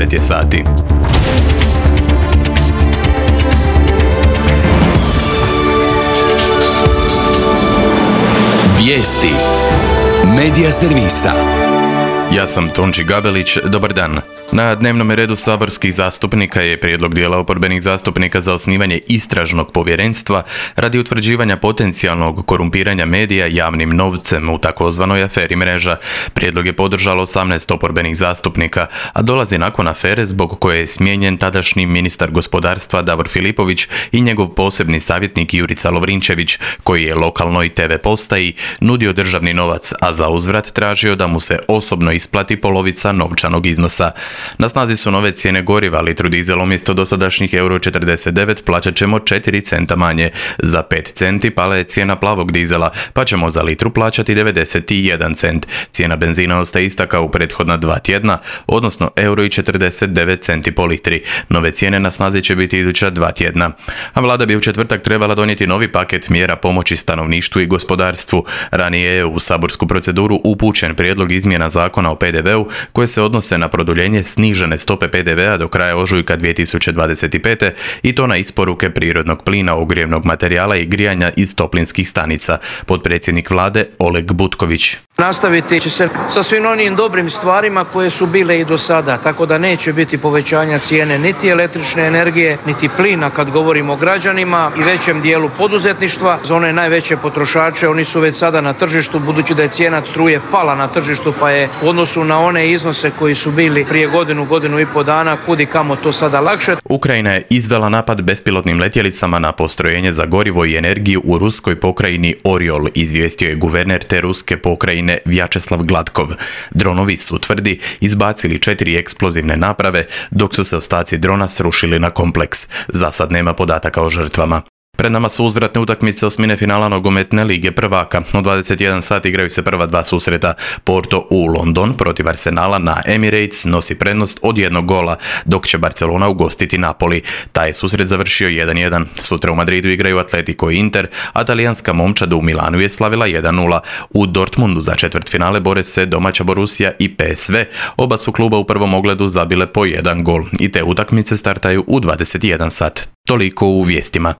9 je sati. Vijesti Medija servisa. Ja sam Tonči Gabelić, dobar dan. Na dnevnom redu saborskih zastupnika je prijedlog dijela oporbenih zastupnika za osnivanje istražnog povjerenstva radi utvrđivanja potencijalnog korumpiranja medija javnim novcem u takozvanoj aferi Mreža. Prijedlog je podržalo 18 oporbenih zastupnika, a dolazi nakon afere zbog koje je smijenjen tadašnji ministar gospodarstva Davor Filipović i njegov posebni savjetnik Jurica Lovrinčević, koji je lokalnoj TV postaji nudio državni novac, a za uzvrat tražio da mu se osobno isplati polovica novčanog iznosa. Na snazi su nove cijene goriva, litru dizela umjesto dosadašnjih €49 plaćat ćemo 4 centa manje. Za 5 centi pala je cijena plavog dizela, pa ćemo za litru plaćati 91 cent. Cijena benzina ostaje ista kao u prethodna 2 tjedna, odnosno €49 po litri. Nove cijene na snazi će biti iduća 2 tjedna. A vlada bi u četvrtak trebala donijeti novi paket mjera pomoći stanovništvu i gospodarstvu. Ranije je u saborsku proceduru upućen prijedlog izmjena zakona o PDV-u koje se odnose na produljenje snižene stope PDV-a do kraja ožujka 2025. i to na isporuke prirodnog plina, ogrijevnog materijala i grijanja iz toplinskih stanica. Potpredsjednik vlade Oleg Butković. Nastaviti će se sa svim onim dobrim stvarima koje su bile i do sada, tako da neće biti povećanja cijene niti električne energije, niti plina kad govorimo o građanima i većem dijelu poduzetništva. Za one najveće potrošače, oni su već sada na tržištu, budući da je cijena struje pala na tržištu, pa je u odnosu na one iznose koji su bili prije godinu i pol dana, kudi kamo to sada lakše. Ukrajina je izvela napad bespilotnim letjelicama na postrojenje za gorivo i energiju u ruskoj pokrajini Oriol, izvijestio je guverner te ruske pokrajine Vjačeslav Gladkov. Dronovi su, tvrdi, izbacili 4 eksplozivne naprave, dok su se ostaci drona srušili na kompleks. Za sad nema podataka o žrtvama. Pred nama su uzvratne utakmice osmine finala nogometne lige prvaka. U 21 sat igraju se prva 2 susreta. Porto u London protiv Arsenala na Emirates nosi prednost od 1 gola, dok će Barcelona ugostiti Napoli. Taj je susret završio 1-1. Sutra u Madridu igraju Atletico i Inter, a talijanska momčad u Milanu je slavila 1-0. U Dortmundu za četvrtfinale bore se domaća Borussia i PSV. Oba su kluba u prvom ogledu zabile po 1 gol i te utakmice startaju u 21 sat. Toliko u vijestima.